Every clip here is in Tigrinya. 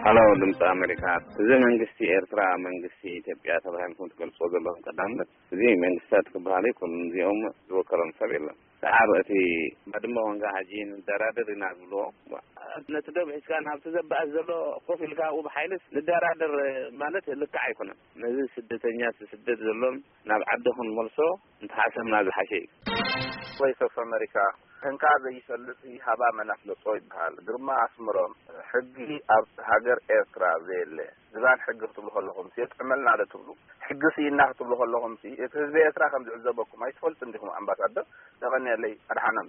ሃሎ፣ ድምፂ ኣሜሪካ። እዚ መንግስቲ ኤርትራ መንግስቲ ኢትዮጵያ ተባሂልኩም ትገልፅዎ ዘለኹም፣ ቀዳምነት እዚ መንግስታት ክበሃል ይኩን፣ እዚኦም ዝወከሎም ሰብ የለን። ሰዓብ እቲ ባድመ ወንጋ ሐጂ ንደራደር ኢና ዝብልዎ፣ ነቲ ደብ ሒዝካ ናብቲ ዘባእስ ዘሎ ኮፍ ኢልካ ኣብኡ ብሓይልስ ንደራደር ማለት ልክዕ ኣይኮነን። ነዚ ስደተኛ ስደት ዘሎን ናብ ዓዲ ክንመልሶ እንተሓሰብና ዝሓሸ እዩ። ቮይስ ኦፍ ኣሜሪካ፣ እንካ ዘይፈልጥ ሃባ መን ኣፍለጦ ይበሃል። ግርማ ኣስምሮም፣ ሕጊ ኣብ ሃገር ኤርትራ ዘየለ ዝባን ሕጊ ክትብሉ ከለኹም የጥዕመልና ዶ ትብሉ? ሕጊ ስኢና ክትብሉ ከለኹም እቲ ህዝቢ ኤርትራ ከም ዝዕዘበኩም ኣይትፈልጡ እንዲኹም? ኣምባሳደር፣ የቐንየለይ። ኣድሓኖም።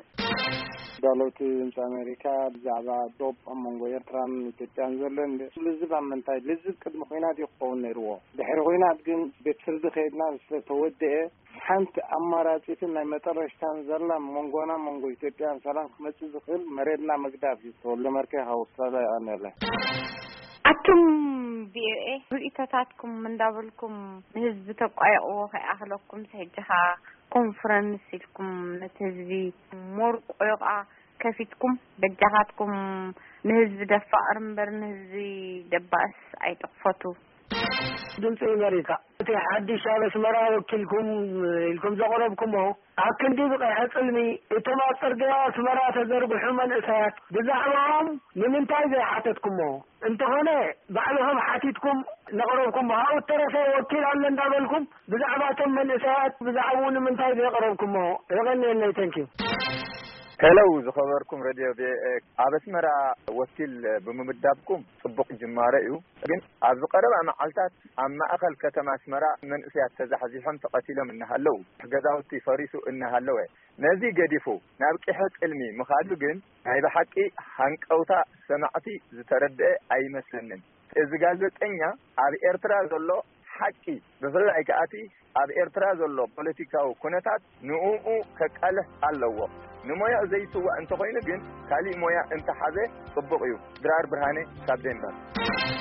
ዳለውቲ ድምፂ ኣሜሪካ፣ ብዛዕባ ዶብ ኣብ መንጎ ኤርትራን ኢትዮጵያን ዘሎ እንደ ልዝብ ኣብ ምንታይ ልዝብ ቅድሚ ኩናት እዩ ክኸውን ነይርዎ። ድሕሪ ኩናት ግን ቤት ፍርዲ ከይድና ስለተወደአ ሓንቲ ኣማራፂትን ናይ መጠረሽታን ዘላ መንጎና መንጎ ኢትዮጵያን ሰላም ክመፅእ ዝኽእል መሬትና ምግዳፍ እዩ። ተወልደ መርኬ ካብ ኣውስትራልያ ይቐንየለይ። ኣቱም ቪኦኤ ርእይቶታትኩም እንዳበልኩም ንህዝቢ ተቋየቕዎ ከይኣኽለኩም ሕጂ ኸኣ ኮንፈረንስ ኢልኩም ነቲ ህዝቢ ሞርቆዮቓ ከፊትኩም በጃኻትኩም ንህዝቢ ደፋቕር እምበር ንህዝቢ ደባእስ ኣይትኽፈቱ። ድምፂ ኣሜሪካ፣ እቲ ሓድሽ ኣብ ኣስመራ ወኪልኩም ኢልኩም ዘቕረብኩሞ ኣብ ክንዲ ብቐይሐ ጽልሚ እቶም ኣብ ጽርግያ ኣስመራ ተዘርግሑ መንእሰያት ብዛዕባኦም ንምንታይ ዘይሓተትኩሞ? እንተኾነ ባዕልኹም ሓቲትኩም ነቕረብኩሞ። ኣብኡ እተረፈ ወኪል ኣሎ እንዳበልኩም ብዛዕባቶም መንእሰያት ብዛዕባኡ ንምንታይ ዘይቕረብኩሞ? የቐንየለይ። ተንኪዩ። ሄሎ፣ ዝኸበርኩም ሬድዮ ቪኦኤ፣ ኣብ ኣስመራ ወኪል ብምምዳብኩም ጽቡቕ ጅማረ እዩ። ግን ኣብዚ ቀረባ መዓልታት ኣብ ማእኸል ከተማ ኣስመራ መንእሰያት ተዛሕዚሖም ተቐቲሎም እናሃለዉ፣ ገዛውቲ ፈሪሱ እናሃለወ፣ ነዚ ገዲፉ ናብ ቂሐ ጽልሚ ምኻዱ ግን ናይ ብሓቂ ሃንቀውታ ሰማዕቲ ዝተረድአ ኣይመስለንን። እዚ ጋዜጠኛ ኣብ ኤርትራ ዘሎ ሓቂ፣ ብፍላይ ከኣ እቲ ኣብ ኤርትራ ዘሎ ፖለቲካዊ ኩነታት ንእኡ ከቃልሕ ኣለዎ። ንሞያኡ ዘይስዋእ እንተኾይኑ ግን ካሊእ ሞያ እንተሓዘ ጽቡቕ እዩ። ድራር ብርሃነ ካብ ዴንማርክ።